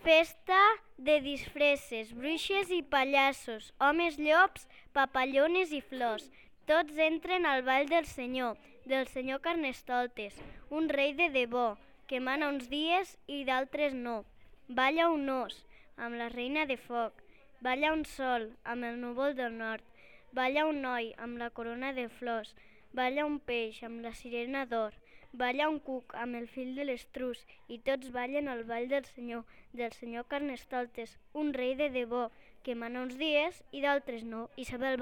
Festa de disfresses, bruixes i pallassos, homes llops, papallones i flors. Tots entren al ball del senyor Carnestoltes, un rei de debò, que mana uns dies i d'altres no. Balla un os, amb la reina de foc. Balla un sol, amb el núvol del nord. Balla un noi, amb la corona de flors. Balla un peix, amb la sirena d'or. Balla un cuc, amb el fill de l'estrus, i tots ballen al ball del senyor Carnestoltes, un rei de debò, que mana uns dies i d'altres no. Isabel